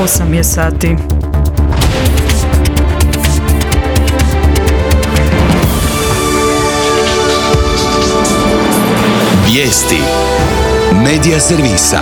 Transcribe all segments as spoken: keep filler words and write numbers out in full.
osam je sati. Vijesti Medija servisa.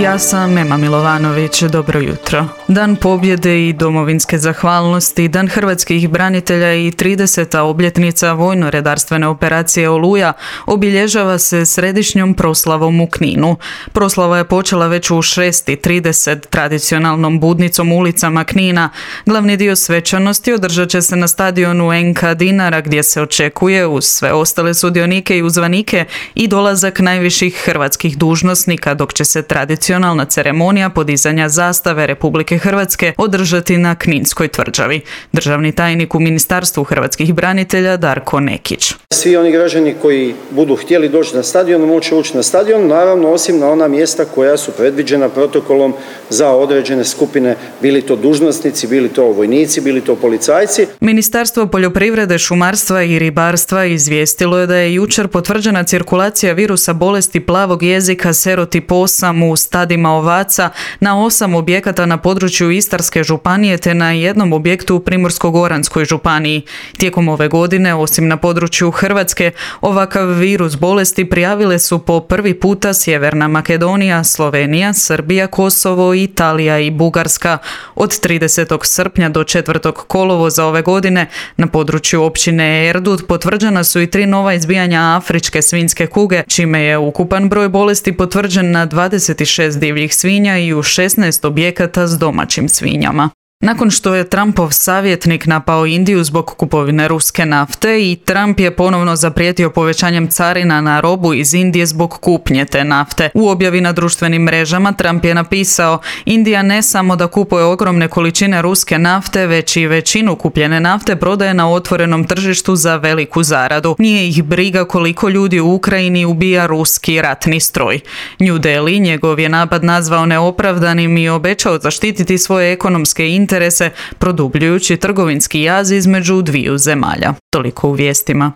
Ja sam Ema Milovanović, dobro jutro. Dan pobjede i domovinske zahvalnosti, Dan hrvatskih branitelja i trideseta obljetnica vojno-redarstvene operacije Oluja obilježava se središnjom proslavom u Kninu. Proslava je počela već u šest i trideset tradicionalnom budnicom ulicama Knina. Glavni dio svečanosti održat će se na stadionu N K Dinara gdje se očekuje uz sve ostale sudionike i uzvanike i dolazak najviših hrvatskih dužnosnika, dok će se tradicionalno Tradicionalna ceremonija podizanja zastave Republike Hrvatske održati na Kninskoj tvrđavi. Državni tajnik u Ministarstvu hrvatskih branitelja Darko Nekić. Svi oni građani koji budu htjeli doći na stadion moći ući na stadion, naravno osim na ona mjesta koja su predviđena protokolom za određene skupine, bili to dužnosnici, bili to vojnici, bili to policajci. Ministarstvo poljoprivrede, šumarstva i ribarstva izvijestilo je da je jučer potvrđena cirkulacija virusa bolesti plavog jezika serotip osam u stadima ovaca na osam objekata na području Istarske županije te na jednom objektu u Primorsko-goranskoj županiji. Tijekom ove godine, osim na području Hrvatske, ovakav virus bolesti prijavile su po prvi puta Sjeverna Makedonija, Slovenija, Srbija, Kosovo, Italija i Bugarska. Od tridesetog srpnja do četvrtog kolovoza ove godine na području općine Erdut potvrđena su i tri nova izbijanja afričke svinjske kuge, čime je ukupan broj bolesti potvrđen na dvadeset šest divljih svinja i u šesnaest objekata s domaćim svinjama. Nakon što je Trumpov savjetnik napao Indiju zbog kupovine ruske nafte i Trump je ponovno zaprijetio povećanjem carina na robu iz Indije zbog kupnje te nafte. U objavi na društvenim mrežama Trump je napisao: Indija ne samo da kupuje ogromne količine ruske nafte, već i većinu kupljene nafte prodaje na otvorenom tržištu za veliku zaradu. Nije ih briga koliko ljudi u Ukrajini ubija ruski ratni stroj. New Delhi njegov je napad nazvao neopravdanim i obećao zaštititi svoje ekonomske interese interese, produbljujući trgovinski jaz između dviju zemalja. Toliko u vijestima.